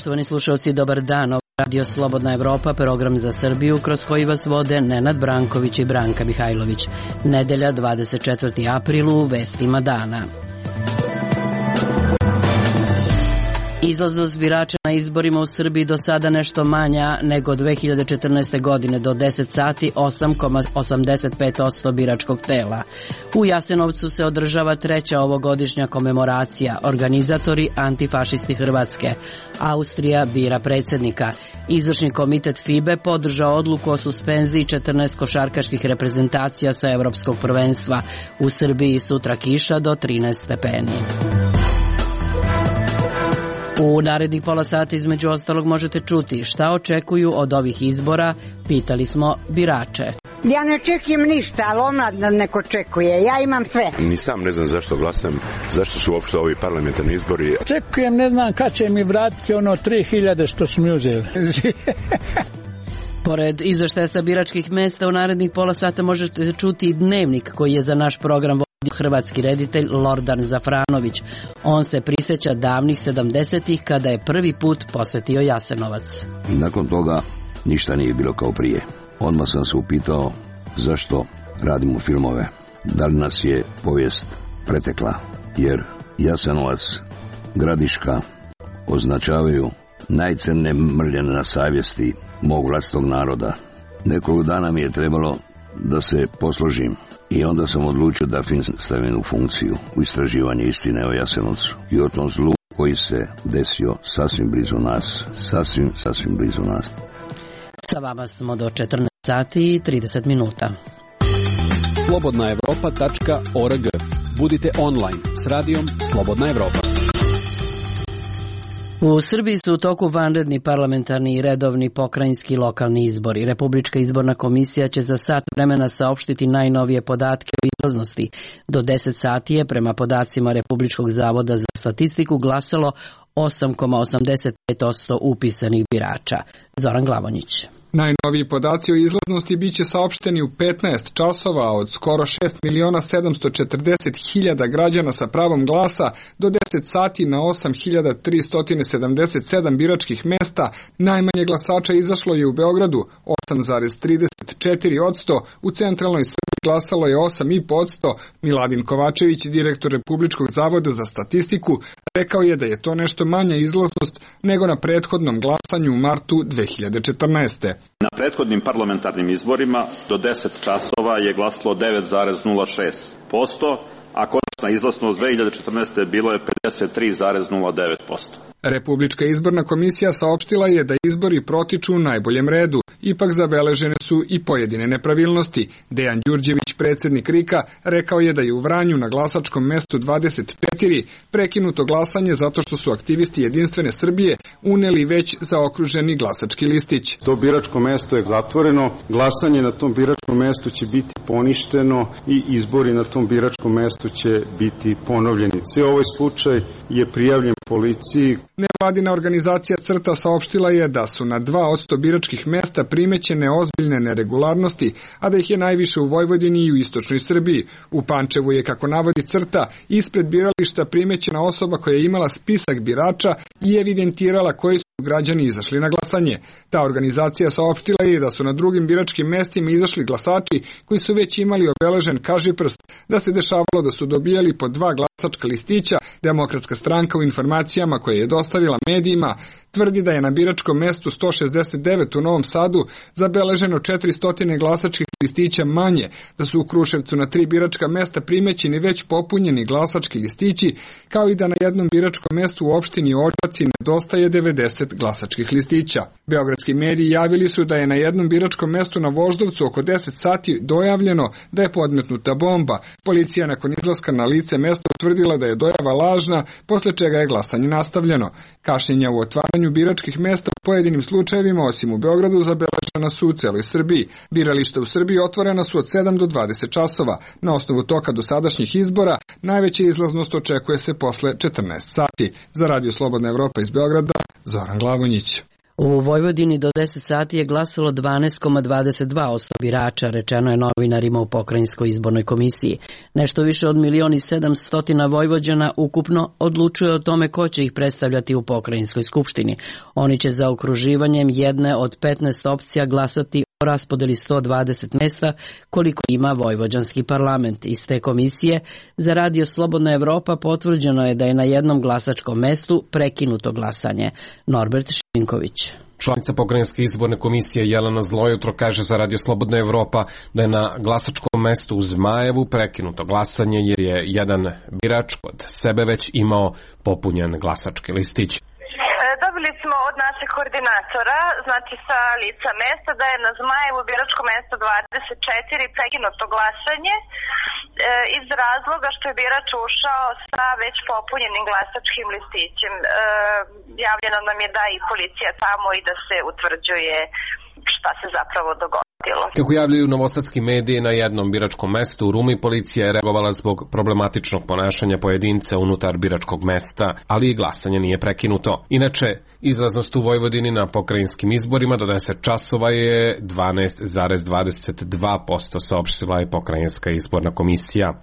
Poštovani slušalci, dobar dan. Radio Slobodna Evropa, program za Srbiju kroz koji vas vode Nenad Branković i Branka Mihajlović. Nedelja, 24. april, u vestima dana. Izlaznost birača na izborima u Srbiji do sada nešto manja nego 2014. godine. Do 10 sati 8,85% biračkog tela. U Jasenovcu se održava treća ovogodišnja komemoracija. Organizatori antifašisti Hrvatske. Austrija bira predsjednika. Izvršni komitet FIBE podržao odluku o suspenziji 14 košarkaških reprezentacija sa Evropskog prvenstva. U Srbiji sutra kiša do 13 stepeni. U narednih pola sata između ostalog možete čuti šta očekuju od ovih izbora, pitali smo birače. Ja ne očekujem ništa, ali omladina neko očekuje, ja imam sve. Ni sam ne znam zašto glasam, zašto su uopšte ovi parlamentarni izbori. Očekujem, ne znam kad će mi vratiti ono 3000 što su mi uzeli. Pored izveštaja sa biračkih mesta u narednih pola sata možete čuti i dnevnik koji je za naš program vodio hrvatski reditelj Lordan Zafranović. On se prisjeća davnih 70-ih kada je prvi put posjetio Jasenovac. I nakon toga ništa nije bilo kao prije. Odmah sam se upitao zašto radimo filmove. Da li nas je povijest pretekla? Jer Jasenovac, Gradiška označavaju najcrnije mrljene na savjesti mog vlastitog naroda. Nekoliko dana mi je trebalo da se posložim i onda sam odlučio da film stavim u funkciju, u istraživanje istine o Jasenovcu i o tom zlu koji se desio sasvim blizu nas. Sasvim blizu nas. Sa vama smo do 14 sati i 30 minuta. Slobodnaevropa.org. Budite online s radijom Slobodna Evropa. U Srbiji su u toku vanredni parlamentarni i redovni pokrajinski lokalni izbori. Republička izborna komisija će za sat vremena saopštiti najnovije podatke o izlaznosti. Do 10 sati je, prema podacima Republičkog zavoda za statistiku, glasalo 8,85% upisanih birača. Zoran Glavonjić. Najnoviji podaci o izlaznosti biće saopšteni u 15 časova od skoro 6.740.000 građana sa pravom glasa do 10 sati na 8.377 biračkih mesta. Najmanje glasača izašlo je u Beogradu 8,34%, u centralnoj Srbiji glasalo je 8,5%. Miladin Kovačević, direktor Republičkog zavoda za statistiku, rekao je da je to nešto manja izlaznost nego na prethodnom glasanju u martu 2014. Na prethodnim parlamentarnim izborima do 10 časova je glasalo 9,06%, a konačna izlaznost 2014. bilo je 53,09%. Republička izborna komisija saopštila je da izbori protiču u najboljem redu. Ipak zabeležene su i pojedine nepravilnosti. Dejan Đurđević, predsjednik RIK-a, rekao je da je u Vranju na glasačkom mestu 24 prekinuto glasanje zato što su aktivisti Jedinstvene Srbije uneli već zaokruženi glasački listić. To biračko mesto je zatvoreno, glasanje na tom biračkom mestu će biti poništeno i izbori na tom biračkom mestu će biti ponovljeni. Cijel ovaj slučaj je prijavljen policiji. Nevladina organizacija CRTA saopštila je da su na 2% biračkih mesta primećene ozbiljne neregularnosti, a da ih je najviše u Vojvodini i u istočnoj Srbiji. U Pančevu je, kako navodi CRTA, ispred birališta primećena osoba koja je imala spisak birača i evidentirala koji su građani izašli na glasanje. Ta organizacija saopštila je da su na drugim biračkim mestima izašli glasači koji su već imali obeležen kažiprst, da se dešavalo da su dobijali po 2 glasačka listića. Demokratska stranka u informacijama koje je dostavila medijima tvrdi da je na biračkom mestu 169 u Novom Sadu zabeleženo 400 glasačkih listića manje, da su u Kruševcu na 3 biračka mesta primećeni već popunjeni glasački listići, kao i da na jednom biračkom mestu u opštini Odžaci nedostaje 90 glasačkih listića. Beogradski mediji javili su da je na jednom biračkom mestu na Voždovcu oko 10 sati dojavljeno da je podmetnuta bomba. Policija nakon izlaska na lice mesta utvrdila da je dojava lažna, posle čega je glasanje nastavljeno. Kašnjenja u otvaranju biračkih mesta u pojedinim slučajevima, osim u Beogradu, zabeležena su u celoj Srbiji. Birališta u Srbiji otvorena su od 7 do 20 časova. Na osnovu toka dosadašnjih izbora, najveća izlaznost očekuje se posle 14 sati. Za Radio Slobodna Evropa iz Beograda, Zoran Glavonjić. U Vojvodini do 10 sati je glasalo 12,22% birača, rečeno je novinarima u Pokrajinskoj izbornoj komisiji. Nešto više od 1.700.000 Vojvođana ukupno odlučuje o tome ko će ih predstavljati u Pokrajinskoj skupštini. Oni će za okruživanjem jedne od 15 opcija glasati o raspodeli 120 mesta koliko ima Vojvođanski parlament. Iz te komisije za Radio Slobodna Evropa potvrđeno je da je na jednom glasačkom mestu prekinuto glasanje. Norbert Šinković. Članica Pokrajinske izborne komisije Jelena Zlojutro kaže za Radio Slobodna Evropa da je na glasačkom mestu u Zmajevu prekinuto glasanje jer je jedan birač kod sebe već imao popunjen glasački listić. Dobili smo od našeg koordinatora, znači sa lica mesta, da je na Zmajevu biračko mesto 24 prekinuto glasanje iz razloga što je birač ušao sa već popunjenim glasačkim listićem. Javljeno nam je da i policija tamo i da se utvrđuje šta se zapravo dogodilo. Kako javljaju novosadski mediji, na jednom biračkom mestu u Rumi policija je reagovala zbog problematičnog ponašanja pojedinca unutar biračkog mesta, ali i glasanje nije prekinuto. Inače, izlaznost u Vojvodini na pokrajinskim izborima do 10 časova je 12,22%, saopštila je Pokrajinska izborna komisija.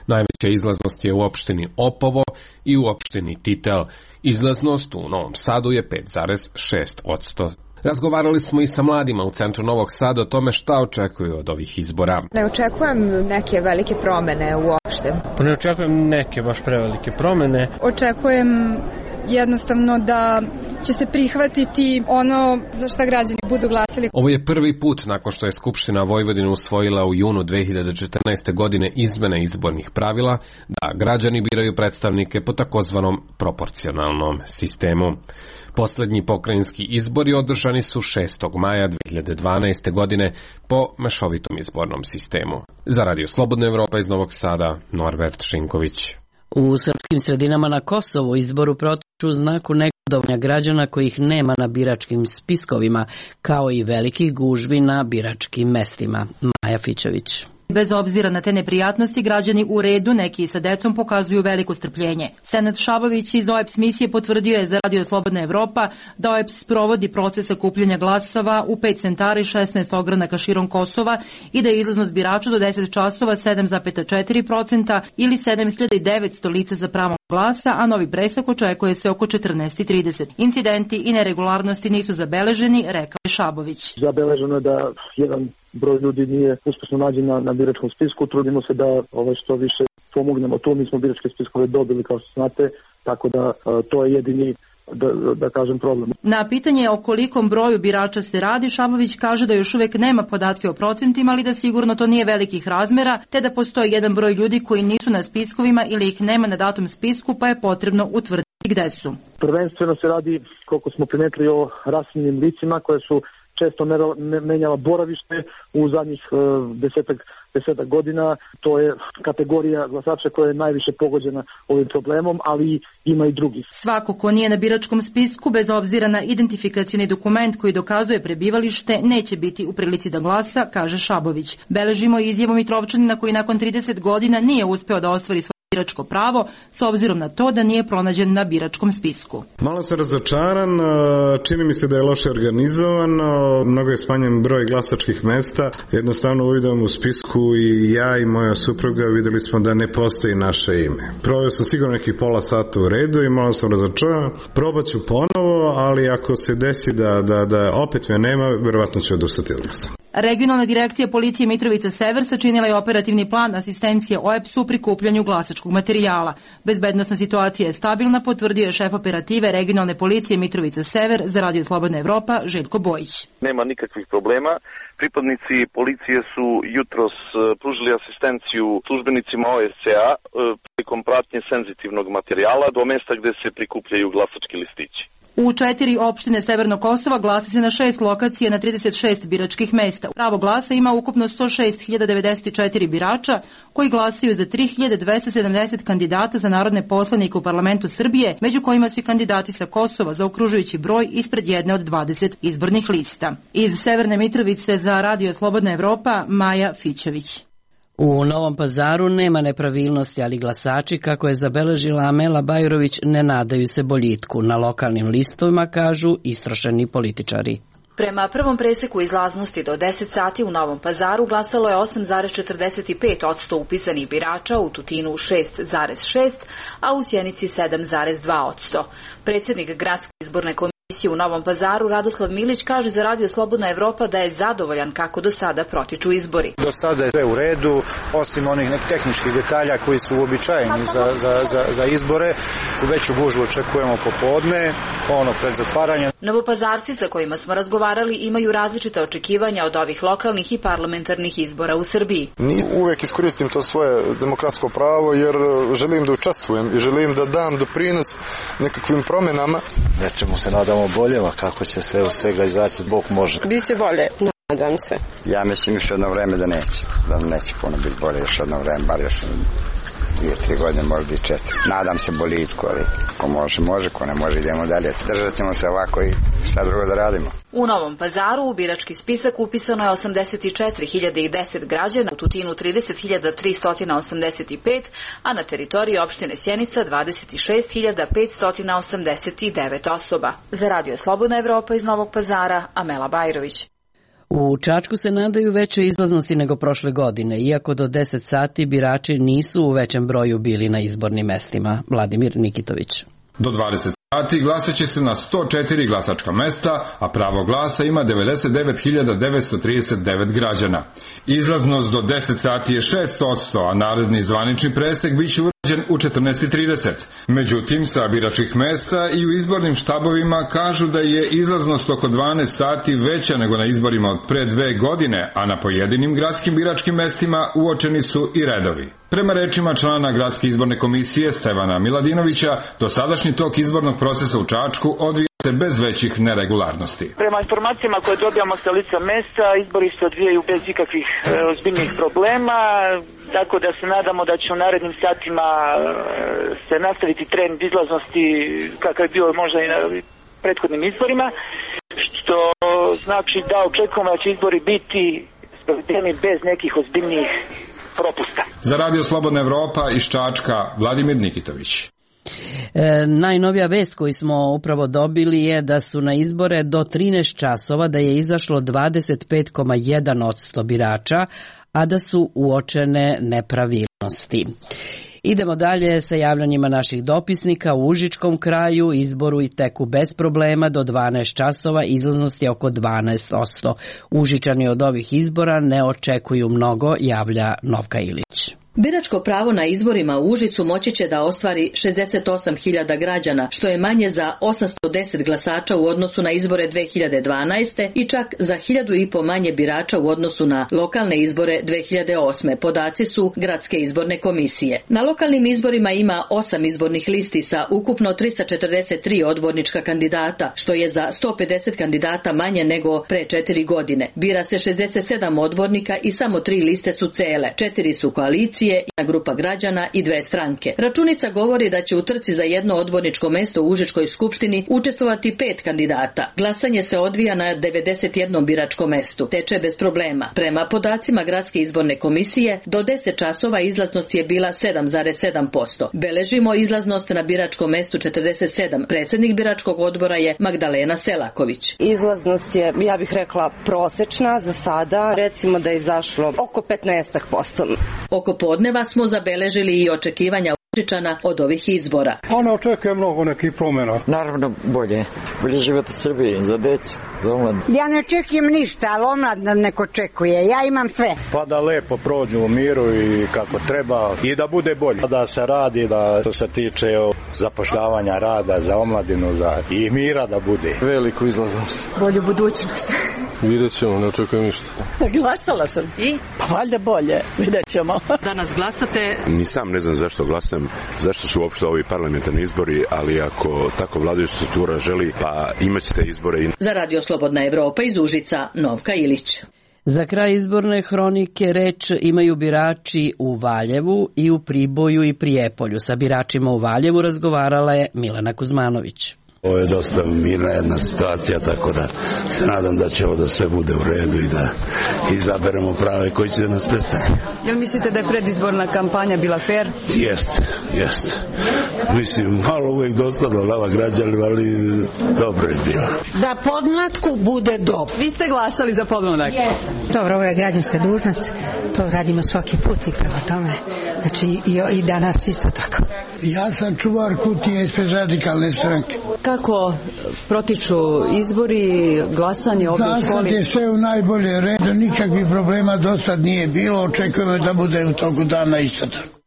Najveća izlaznost je u opštini Opovo i u opštini Titel. Izlaznost u Novom Sadu je 5,6%. Razgovarali smo i sa mladima u centru Novog Sada o tome šta očekuju od ovih izbora. Ne očekujem neke velike promene uopšte. Pa ne očekujem neke baš prevelike promene. Očekujem jednostavno da će se prihvatiti ono za šta građani budu glasili. Ovo je prvi put nakon što je Skupština Vojvodine usvojila u junu 2014. godine izmene izbornih pravila da građani biraju predstavnike po takozvanom proporcionalnom sistemu. Poslednji pokrajinski izbori održani su 6. maja 2012. godine po mešovitom izbornom sistemu. Za Radio Slobodna Evropa iz Novog Sada, Norbert Šinković. U srpskim sredinama na Kosovu izboru protiču u znaku negodovanja građana kojih nema na biračkim spiskovima, kao i velikih gužvi na biračkim mestima. Maja Fićović. Bez obzira na te neprijatnosti, građani u redu, neki sa decom, pokazuju veliko strpljenje. Senad Šabović iz OEBS misije potvrdio je za Radio Slobodna Evropa da OEBS provodi proces sakupljanja glasova u 5 centara i 16 ogranaka širom Kosova i da je izlaznost birača do 10 časova 7,4% ili 7900 lica za pravo glasa, a novi presek očekuje se oko 14:30. Incidenti i neregularnosti nisu zabeleženi, rekao je Šabović. Zabeleženo je da jedan broj ljudi nije uspešno nađen na biračkom spisku. Trudimo se da što više pomognemo to. Mi smo biračke spiskove dobili, kao što znate, tako da to je jedini da kažem problem. Na pitanje o kolikom broju birača se radi, Šabović kaže da još uvek nema podatke o procentima, ali da sigurno to nije velikih razmera, te da postoji jedan broj ljudi koji nisu na spiskovima ili ih nema na datom spisku, pa je potrebno utvrditi gde su. Prvenstveno se radi, koliko smo primetili, o raseljenim licima koje su često menjala boravište u zadnjih desetak godina. To je kategorija glasača koja je najviše pogođena ovim problemom, ali ima i drugih. Svako ko nije na biračkom spisku, bez obzira na identifikacioni dokument koji dokazuje prebivalište, neće biti u prilici da glasa, kaže Šabović. Beležimo izjavu Mitrovčanina koji nakon 30 godina nije uspeo da ostvari svoje biračko pravo, s obzirom na to da nije pronađen na biračkom spisku. Malo sam razočaran, čini mi se da je loše organizovano, mnogo je smanjen broj glasačkih mesta, jednostavno uvidom u spisku i ja i moja supruga videli smo da ne postoji naše ime. Proveo sam sigurno nekih pola sata u redu i malo sam razočaran, probat ću ponovo, ali ako se desi da opet me nema, verovatno ću odustati od glasa. Regionalna direkcija policije Mitrovica Sever sačinila je operativni plan asistencije OEBS-u u prikupljanju glasačkog materijala. Bezbednosna situacija je stabilna, potvrdio je šef operative regionalne policije Mitrovica Sever za Radio Slobodna Evropa Željko Bojić. Nema nikakvih problema. Pripadnici policije su jutros pružili asistenciju službenicima OSCE-a prilikom pratnje senzitivnog materijala do mesta gde se prikupljaju glasački listići. U 4 opštine Severnog Kosova glasa se na 6 lokacija na 36 biračkih mesta. Pravo glasa ima ukupno 106.094 birača koji glasaju za 3.270 kandidata za narodne poslanike u parlamentu Srbije, među kojima su i kandidati sa Kosova za okružujući broj ispred jedne od 20 izbornih lista. Iz Severne Mitrovice za Radio Slobodna Evropa, Maja Fićević. U Novom Pazaru nema nepravilnosti, ali glasači, kako je zabeležila Amela Bajrović, ne nadaju se boljitku. Na lokalnim listovima, kažu istrošeni političari. Prema prvom preseku izlaznosti do 10 sati u Novom Pazaru glasalo je 8,45% upisanih birača, u Tutinu 6,6%, a u Sjenici 7,2%. Predsjednik gradske izborne komisije u Novom Pazaru Radoslav Milić kaže za Radio Slobodna Evropa da je zadovoljan kako do sada protiču izbori. Do sada je sve u redu, osim onih tehničkih detalja koji su uobičajeni za izbore. U veću gužvu očekujemo popodne, pred zatvaranjem. Novopazarci sa kojima smo razgovarali imaju različite očekivanja od ovih lokalnih i parlamentarnih izbora u Srbiji. Uvek iskoristim to svoje demokratsko pravo jer želim da učestvujem i želim da dam doprinos nekakvim promjenama. Nečemu se nadamo boljeva, kako će sve u svega izaći, Bog može. Biće bolje, nadam se. Ja mislim još jedno vreme da neće puno biti bolje, još jedno vreme, bar još 2-3 godine, možda i 4. Nadam se boljitku, ali ko može, ko ne može, idemo dalje. Držat ćemo se ovako i šta drugo da radimo. U Novom Pazaru u birački spisak upisano je 84.010 građana, u Tutinu 30.385, a na teritoriji opštine Sjenica 26.589 osoba. Za Radio Slobodna Evropa iz Novog Pazara, Amela Bajrović. U Čačku se nadaju većoj izlaznosti nego prošle godine, iako do 10 sati birači nisu u većem broju bili na izbornim mestima. Vladimir Nikitović. Do 20 sati glasat će se na 104 glasačka mesta, a pravo glasa ima 99.939 građana. Izlaznost do 10 sati je 6%, a naredni zvanični presek biće urađen u 14:30. Međutim, sa biračkih mesta i u izbornim štabovima kažu da je izlaznost oko 12 sati veća nego na izborima od pre 2 godine, a na pojedinim gradskim biračkim mestima uočeni su i redovi. Prema rečima člana Gradske izborne komisije Stevana Miladinovića, dosadašnji tok izbornog procesa u Čačku odvija se bez većih neregularnosti. Prema informacijama koje dobijamo sa lica mesta, izbori se odvijaju bez ikakvih ozbiljnih problema, tako da se nadamo da će u narednim satima se nastaviti trend izlaznosti kakav je bio možda i na prethodnim izborima, što znači da očekujemo da će izbori biti sprovedeni bez nekih ozbiljnih propusta. Za Radio Slobodna Evropa iz Čačka, Vladimir Nikitović. Najnovija vest koju smo upravo dobili je da su na izbore do 13 časova da je izašlo 25,1% birača, a da su uočene nepravilnosti. Idemo dalje sa javljanjima naših dopisnika. U Užičkom kraju izboru i teku bez problema do 12 časova, izlaznost je oko 12%. Užičani od ovih izbora ne očekuju mnogo, javlja Novka Ilić. Biračko pravo na izborima u Užicu moći će da ostvari 68.000 građana, što je manje za 810 glasača u odnosu na izbore 2012. i čak za 1.500 manje birača u odnosu na lokalne izbore 2008. Podaci su Gradske izborne komisije. Na lokalnim izborima ima 8 izbornih listi sa ukupno 343 odbornička kandidata, što je za 150 kandidata manje nego pre 4 godine. Bira se 67 odbornika i samo 3 liste su cele. 4 su koalicije, jedna grupa građana i 2 stranke. Računica govori da će u trci za jedno odborničko mesto u Užičkoj skupštini učestvovati 5 kandidata. Glasanje se odvija na 91 biračkom mestu. Teče bez problema. Prema podacima Gradske izborne komisije, do 10 časova izlaznost je bila 7,7%. Beležimo izlaznost na biračkom mestu 47. Predsjednik biračkog odbora je Magdalena Selaković. Izlaznost je, ja bih rekla, prosečna za sada. Recimo da je izašlo oko 15%. Oko podneva smo zabeležili i očekivanja Užičana od ovih izbora. Ona očekuje mnogo nekih promjena. Naravno bolje život u Srbiji, za decu, za omlad. Ja ne očekujem ništa, ali omlad neko očekuje, ja imam sve. Pa da lepo prođu u miru i kako treba i da bude bolje. Da se radi, da što se tiče zapošljavanja rada za omladinu i mira da bude. Veliku izlaznost. Bolju budućnost. Vidjet ćemo, ne očekujem ništa. Glasala sam. I? Pa valjda bolje, vidjet ćemo. Danas glasate? Ni sam ne znam zašto glasam, zašto su uopšte ovi parlamentarni izbori, ali ako tako vladajuća struktura želi, pa imat ćete izbore. Za Radio Slobodna Evropa iz Užica, Novka Ilić. Za kraj izborne hronike reč imaju birači u Valjevu i u Priboju i Prijepolju. Sa biračima u Valjevu razgovarala je Milena Kuzmanović. Ovo je dosta mirna jedna situacija, tako da se nadam da će ovo da sve bude u redu i da izaberemo prave koji će da nas predstaviti. Jel mislite da je predizborna kampanja bila fair? Jeste. Mislim, malo uvijek dosadno građanima, ali dobro je bilo. Da podmlatku bude dobro. Vi ste glasali za podmladak? Jeste. Dobro, ovo je građanska dužnost, to radimo svaki put i prema tome, znači i danas isto tako. Ja sam čuvar kutije ispred Radikalne stranke. Kako protiču izbori, glasanje ovdje u školi? Zasad je sve u najbolje redu, nikakvih problema do sad nije bilo, očekujemo da bude u toku dana isto tako.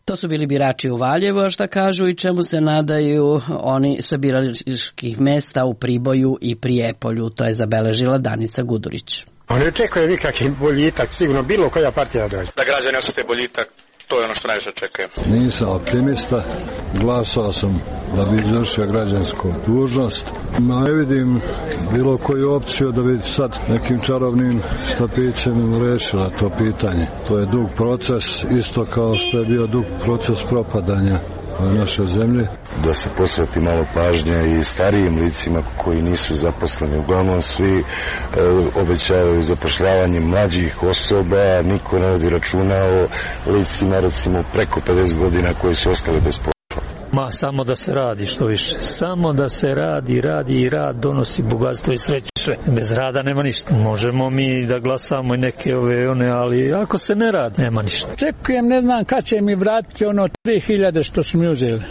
To su bili birači u Valjevu, a šta kažu i čemu se nadaju oni sa biračkih mesta u Priboju i Prijepolju, to je zabeležila Danica Gudurić. Oni očekuju nikakvi boljitak, sigurno bilo koja partija dođe. Da građani osjete boljitak, to je ono što najviše očekujem. Nisam optimista, glasao sam da bi izvršio građansku dužnost. Ne vidim bilo koju opciju da bi sad nekim čarovnim štapićem rešila to pitanje. To je dug proces, isto kao što je bio dug proces propadanja naše zemlje. Da se posveti malo pažnje i starijim licima koji nisu zaposleni. Uglavnom svi obećavaju zapošljavanje mlađih osoba, niko ne vodi računa o licima recimo preko 50 godina koji su ostali bez posla. Ma samo da se radi što više. Samo da se radi i rad donosi bogatstvo i sreću sve. Bez rada nema ništa. Možemo mi da glasamo i neke one, ali ako se ne radi, nema ništa. Čekujem, ne znam kad će mi vratiti ono 3000 što su mi uzeli.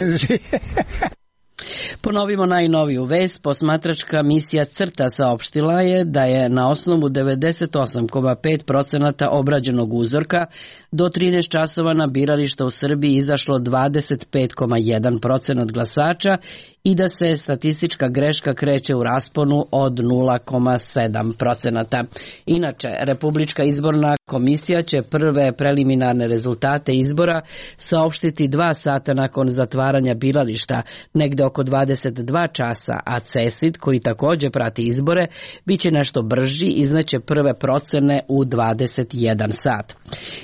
Ponovimo najnoviju vest. Posmatračka misija CRTA saopštila je da je na osnovu 98,5% obrađenog uzorka do 13 časova na birališta u Srbiji izašlo 25,1% glasača i da se statistička greška kreće u rasponu od 0,7%. Inače, Republička izborna komisija će prve preliminarne rezultate izbora saopštiti 2 sata nakon zatvaranja birališta, negde oko 22 časa, a CESID, koji također prati izbore, bit će nešto brži, izneće prve procene u 21 sat.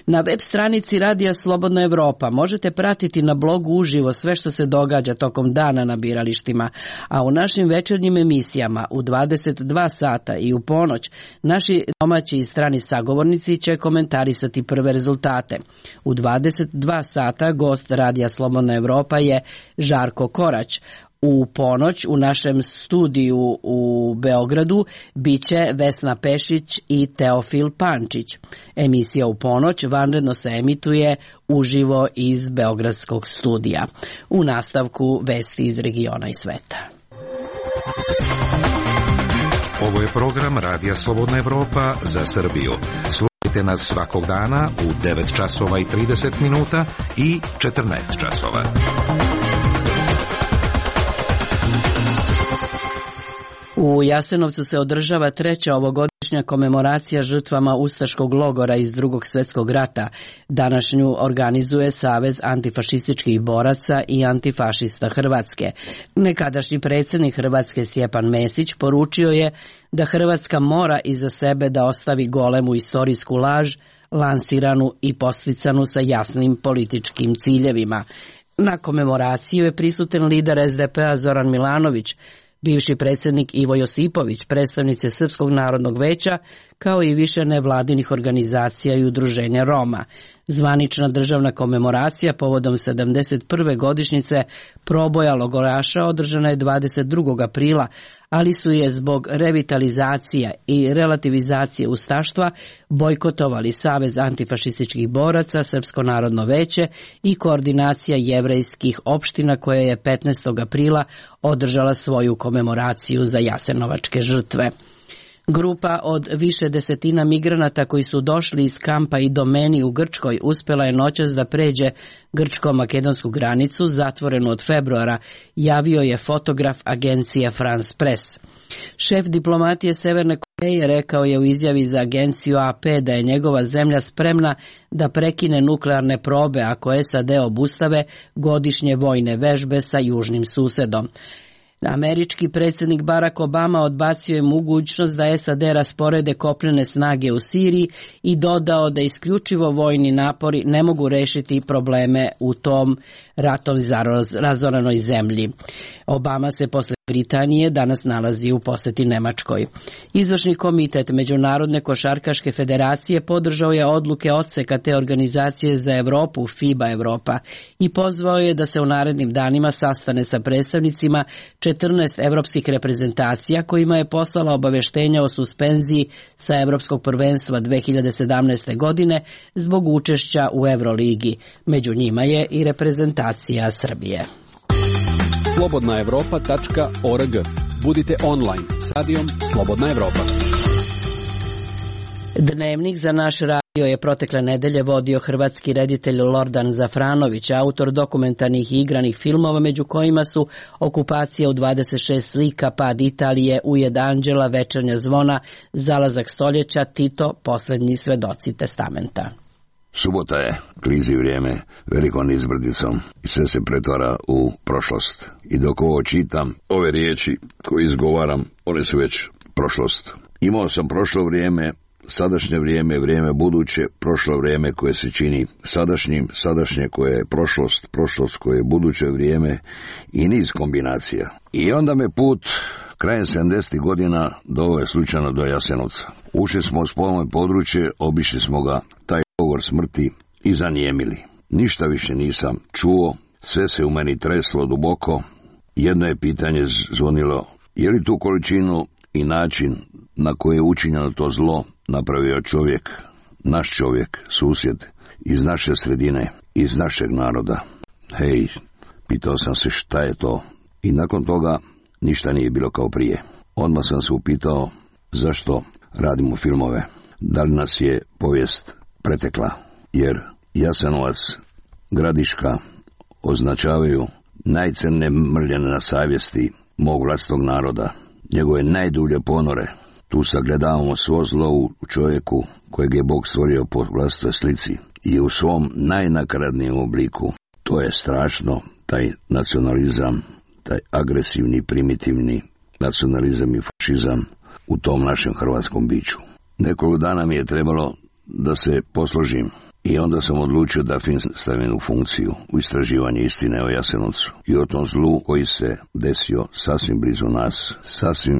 Na web stranici Radija Slobodna Evropa možete pratiti na blogu uživo sve što se događa tokom dana na biralištima, a u našim večernjim emisijama u 22 sata i u ponoć naši domaći i strani sagovornici će komentarisati prve rezultate. U 22 sata gost Radija Slobodna Evropa je Žarko Korać. U ponoć u našem studiju u Beogradu biće Vesna Pešić i Teofil Pančić. Emisija u ponoć vanredno se emituje uživo iz Beogradskog studija. U nastavku vesti iz regiona i sveta. Ovo je program Radija Slobodna Evropa za Srbiju. Slušajte nas svakog dana u 9 časova i 30 minuta i 14 časova. U Jasenovcu se održava 3. ovogodišnja komemoracija žrtvama ustaškog logora iz Drugog svjetskog rata. Današnju organizuje Savez antifašističkih boraca i antifašista Hrvatske. Nekadašnji predsjednik Hrvatske Stjepan Mesić poručio je da Hrvatska mora iza sebe da ostavi golemu istorijsku laž, lansiranu i posticanu sa jasnim političkim ciljevima. Na komemoraciju je prisutan lider SDP-a Zoran Milanović, bivši predsjednik Ivo Josipović, predstavnici Srpskog narodnog veća, kao i više nevladinih organizacija i udruženja Roma. Zvanična državna komemoracija povodom 71. godišnjice proboja logoraša održana je 22. aprila, ali su je zbog revitalizacija i relativizacije ustaštva bojkotovali Savez antifašističkih boraca, Srpsko narodno veće i koordinacija jevrejskih opština koja je 15. aprila održala svoju komemoraciju za jasenovačke žrtve. Grupa od više desetina migranata koji su došli iz kampa i domeni u Grčkoj uspjela je noćas da pređe grčko-makedonsku granicu zatvorenu od februara, javio je fotograf agencije France Press. Šef diplomatije Severne Koreje rekao je u izjavi za agenciju AP da je njegova zemlja spremna da prekine nuklearne probe ako SAD obustave godišnje vojne vežbe sa južnim susedom. Američki predsjednik Barack Obama odbacio je mogućnost da SAD rasporede kopnene snage u Siriji i dodao da isključivo vojni napori ne mogu rešiti probleme u tom ratom razoranoj zemlji. Obama se posle Britanije danas nalazi u poseti Nemačkoj. Izvršni komitet Međunarodne košarkaške federacije podržao je odluke odseka te organizacije za Evropu, FIBA Evropa, i pozvao je da se u narednim danima sastane sa predstavnicima 14 evropskih reprezentacija kojima je poslala obaveštenja o suspenziji sa Evropskog prvenstva 2017. godine zbog učešća u Euroligi. Među njima je i reprezentacija Srbije. slobodnaevropa.org. Budite online s radijom Slobodna Evropa. Dnevnik za naš radio je protekle nedelje vodio hrvatski reditelj Lordan Zafranović, autor dokumentarnih i igranih filmova, među kojima su Okupacija u 26 slika, Pad Italije, Ujed anđela, Večernja zvona, Zalazak stoljeća, Tito, Poslednji svedoci testamenta. Subota je, klizi vrijeme velikom izbrdicom i sve se pretvara u prošlost. I dok ovo čitam, ove riječi koje izgovaram, one su već prošlost. Imao sam prošlo vrijeme, sadašnje vrijeme, vrijeme buduće, prošlo vrijeme koje se čini sadašnjim, sadašnje koje je prošlost, prošlost koje je buduće vrijeme i niz kombinacija. I onda me put krajem 70. godina doveo slučajno do Jasenovca. Ušli smo u spolno područje, obišli smo ga, taj govor smrti, i zanijemili. Ništa više nisam čuo, sve se u meni treslo duboko. Jedno je pitanje zvonilo: je li tu količinu i način na koji je učinjeno to zlo napravio čovjek, naš čovjek, susjed, iz naše sredine, iz našeg naroda? Hej, pitao sam se šta je to, i nakon toga ništa nije bilo kao prije. Odmah sam se upitao zašto radimo filmove, da li nas je povijest pretekla, jer Jasenovac, Gradiška označavaju najcrnije mrljene na savjesti mog vlastitog naroda, njegove najdublje ponore. Tu sagledavamo svo zlo u čovjeku kojeg je Bog stvorio po vlastitoj slici i u svom najnakaradnijem obliku. To je strašno, taj nacionalizam, taj agresivni, primitivni nacionalizam i fašizam u tom našem hrvatskom biću. Nekoliko dana mi je trebalo da se posložim i onda sam odlučio da film stavim u funkciju, u istraživanje istine o Jasenovcu i o tom zlu koji se desio sasvim blizu nas,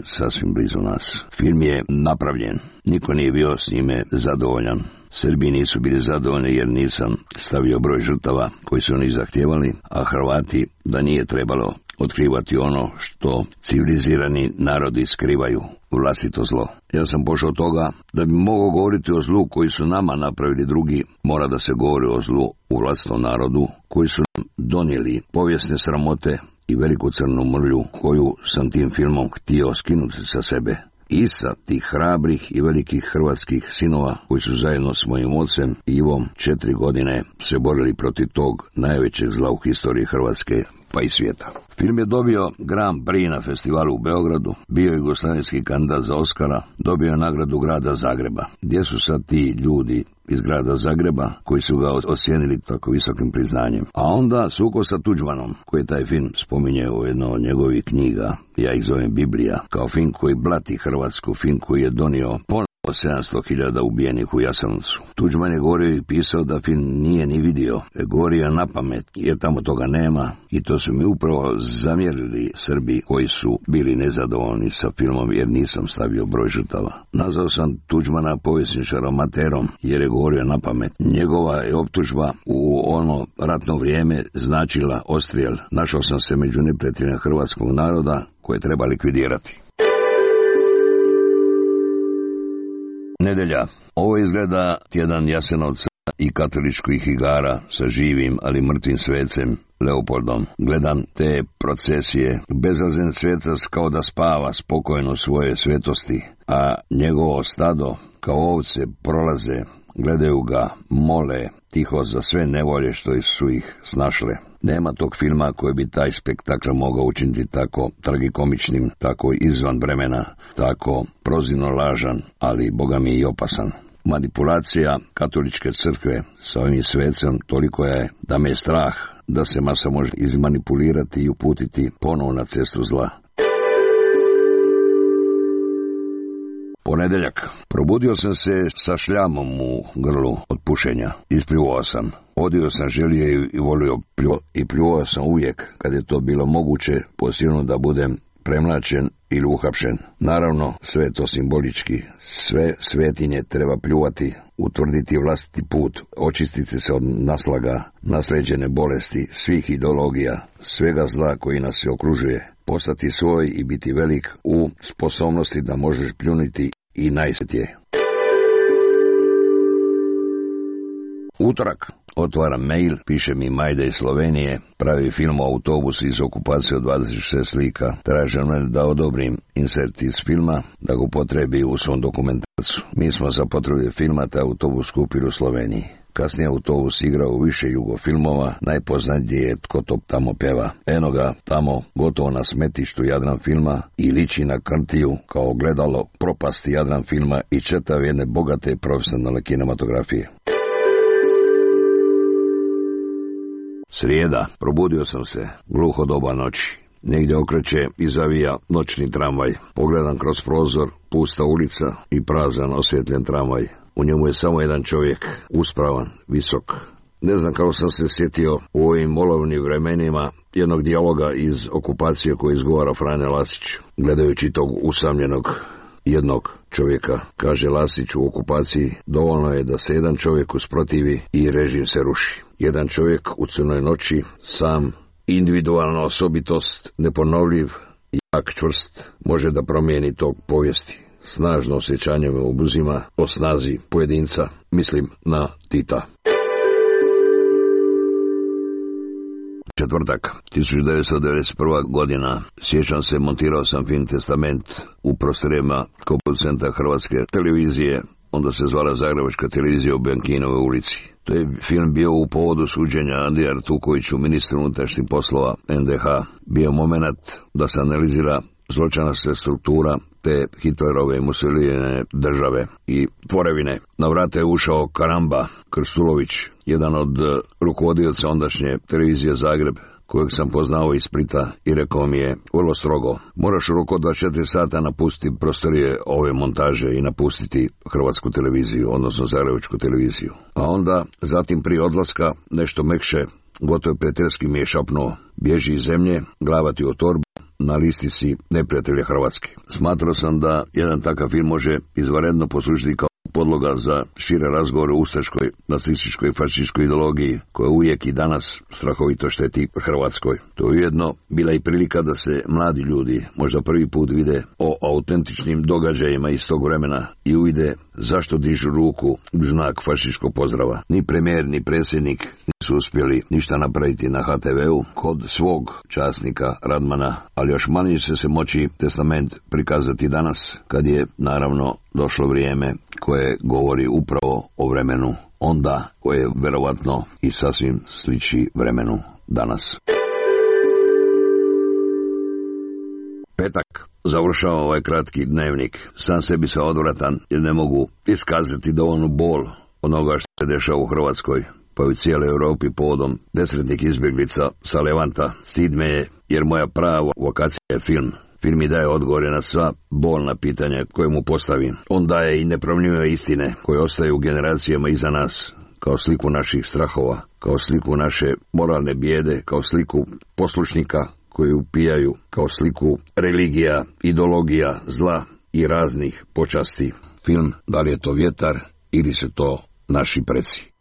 sasvim blizu nas. Film je napravljen, niko nije bio s njime zadovoljan. Srbi nisu bili zadovoljni jer nisam stavio broj žrtava koji su oni zahtijevali, a Hrvati da nije trebalo otkrivati ono što civilizirani narodi skrivaju, vlastito zlo. Ja sam pošao od toga da bi mogao govoriti o zlu koji su nama napravili drugi, mora da se govori o zlu u vlastitom narodu, koji su nam donijeli povijesne sramote i veliku crnu mrlju koju sam tim filmom htio skinuti sa sebe. I sa tih hrabrih i velikih hrvatskih sinova koji su zajedno s mojim ocem Ivom 4 godine se borili protiv tog najvećeg zla u historiji Hrvatske pa i svijeta. Film je dobio Grand Prix na festivalu u Beogradu, bio je jugoslavenski kandidat za Oskara, dobio je nagradu grada Zagreba. Gdje su sad ti ljudi iz grada Zagreba koji su ga ocijenili tako visokim priznanjem? A onda sukob sa Tuđmanom, koji taj film spominje u jedno od njegovih knjiga, ja ih zovem Biblija, kao film koji blati Hrvatsku, film koji je donio ponovo 700.000 ubijenih u Jasenovcu. Tuđman je govorio i pisao da film nije ni vidio, govorio na pamet jer tamo toga nema, i to su mi upravo zamjerili Srbi koji su bili nezadovoljni sa filmom jer nisam stavio broj žrtava. Nazvao sam Tuđmana povjesničarom amaterom jer je govorio na pamet. Njegova je optužba u ono ratno vrijeme značila odstrijel. Našao sam se među neprijateljima hrvatskog naroda koje treba likvidirati. Nedelja. Ovo izgleda tjedan Jasenovca i katoličkih igara sa živim, ali mrtvim svecem Leopoldom. Gledam te procesije. Bezazlen svecac kao da spava spokojno svoje svetosti, a njegovo stado kao ovce prolaze, gledaju ga, mole tiho za sve nevolje što su ih snašle. Nema tog filma koji bi taj spektakl mogao učiniti tako tragikomičnim, tako izvan vremena, tako prozirno lažan, ali boga mi i opasan. Manipulacija katoličke crkve sa ovim svecem toliko je da me je strah da se masa može izmanipulirati i uputiti ponovo na cestu zla. Ponedeljak. Probudio sam se sa šljamom u grlu od pušenja. Ispljuvao sam. Odio sam želije i volio i pljuvao sam uvijek kad je to bilo moguće, posilno da budem premlačen ili uhapšen. Naravno, sve to simbolički. Sve svetinje treba pljuvati, utvrditi vlastiti put, očistiti se od naslaga, nasleđene bolesti, svih ideologija, svega zla koji nas se okružuje, postati svoj i biti velik u sposobnosti da možeš pljuniti i najsvetije. Utorak. Otvaram mail, piše mi Majda iz Slovenije, pravi film o autobusu iz okupacije od 26 slika. Traže me da odobrim insert iz filma, da ga upotrebi u svom dokumentarcu. Mi smo za potrebe filma taj autobus kupili u Sloveniji. Kasnije autobus igrao u više jugofilmova, najpoznatiji je Tko to tamo peva. Eno ga tamo, gotovo na smetištu Jadran filma i liči na krtiju kao gledalo propasti Jadran filma i čitav jedne bogate profesionalne kinematografije. Srijeda. Probudio sam se. Gluho doba noći. Negdje okreće i zavija noćni tramvaj. Pogledam kroz prozor, pusta ulica i prazan osvjetljen tramvaj. U njemu je samo jedan čovjek, uspravan, visok. Ne znam kako sam se sjetio u ovim olovnim vremenima jednog dijaloga iz okupacije koji izgovara Frane Lasić. Gledajući tog usamljenog jednog čovjeka, kaže Lasić u okupaciji, dovoljno je da se jedan čovjek usprotivi i režim se ruši. Jedan čovjek u crnoj noći, sam, individualna osobitost, neponovljiv, jak, čvrst, može da promijeni tog povijesti. Snažno osjećanje me obuzima o snazi pojedinca, mislim na Tita. Četvrtak, 1991. godina. Sjećam se, montirao sam film Testament u prostorijama producenta Hrvatske televizije, onda se zvala Zagrebačka televizija u Benkinove ulici. To je film bio u povodu suđenja Andriji Artukoviću, ministru unutrašnjih poslova NDH. Bio moment da se analizira zločinačka struktura te Hitlerove i Mussolinijeve države i tvorevine. Na vrate je ušao Karamba Krstulović, jedan od rukovodioca ondašnje televizije Zagreb, kojeg sam poznao iz Splita, i rekao mi je vrlo strogo: moraš u roku 24 sata napustiti prostorije ove montaže i napustiti Hrvatsku televiziju, odnosno Zagrebačku televiziju. A onda, zatim prije odlaska, nešto mekše, gotovo prijateljski mi je šapnuo: bježi iz zemlje, glava ti u torbu, na listi si neprijatelja Hrvatske. Smatrao sam da jedan takav film može izvanredno poslužiti kao podloga za šire razgovore o ustaškoj, nacističkoj i fašističkoj ideologiji koja uvijek i danas strahovito šteti Hrvatskoj. To je ujedno bila i prilika da se mladi ljudi možda prvi put vide o autentičnim događajima iz tog vremena i uvide zašto dižu ruku u znak fašističkog pozdrava. Ni premijer, ni predsjednik nisu uspjeli ništa napraviti na HTV-u kod svog časnika Radmana, ali još manje će se moći Testament prikazati danas, kad je naravno došlo vrijeme koje govori upravo o vremenu onda, koje verovatno i sasvim sliči vremenu danas. Petak. Završavam ovaj kratki dnevnik. Sam sebi sam odvratan jer ne mogu iskazati dovoljnu bol onoga što se dešava u Hrvatskoj, pa i u cijeloj Europi povodom nesretnih izbjeglica sa Levanta. Stid me je jer moja prava vokacija je film. Film mi daje odgovore na sva bolna pitanja koje mu postavim. On daje i nepromljive istine koje ostaju u generacijama iza nas, kao sliku naših strahova, kao sliku naše moralne bijede, kao sliku poslušnika koji upijaju, kao sliku religija, ideologija, zla i raznih počasti. Film, da li je to vjetar ili su to naši preci.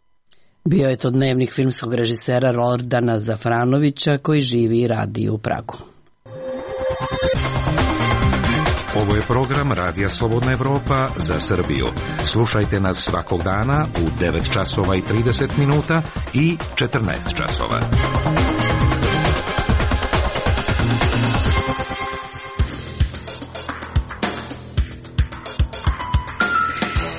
Bio je to dnevnik filmskog režisera Lordana Zafranovića koji živi i radi u Pragu. Ovo je program Radija Slobodna Evropa za Srbiju. Slušajte nas svakog dana u 9 časova i 30 minuta i 14 časova.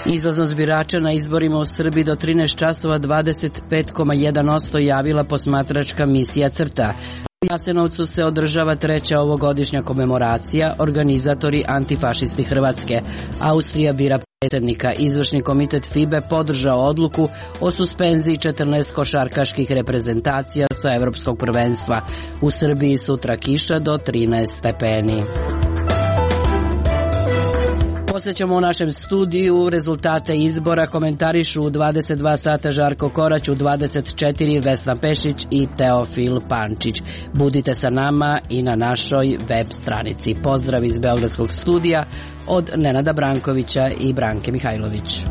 Izlaznost birača na izborima u Srbiji do 13 časova 25,1% javila posmatračka misija CRTA. U Jasenovcu se održava 3. ovogodišnja komemoracija, organizatori antifašisti Hrvatske. Austrija bira predsjednika. Izvršni komitet FIBE podržao odluku o suspenziji 14 košarkaških reprezentacija sa evropskog prvenstva. U Srbiji sutra kiša do 13 stepeni. Podsjećamo u našem studiju rezultate izbora komentarišu u 22 sata Žarko Korać, u 24 Vesna Pešić i Teofil Pančić. Budite sa nama i na našoj web stranici. Pozdrav iz Beogradskog studija od Nenada Brankovića i Branke Mihajlović.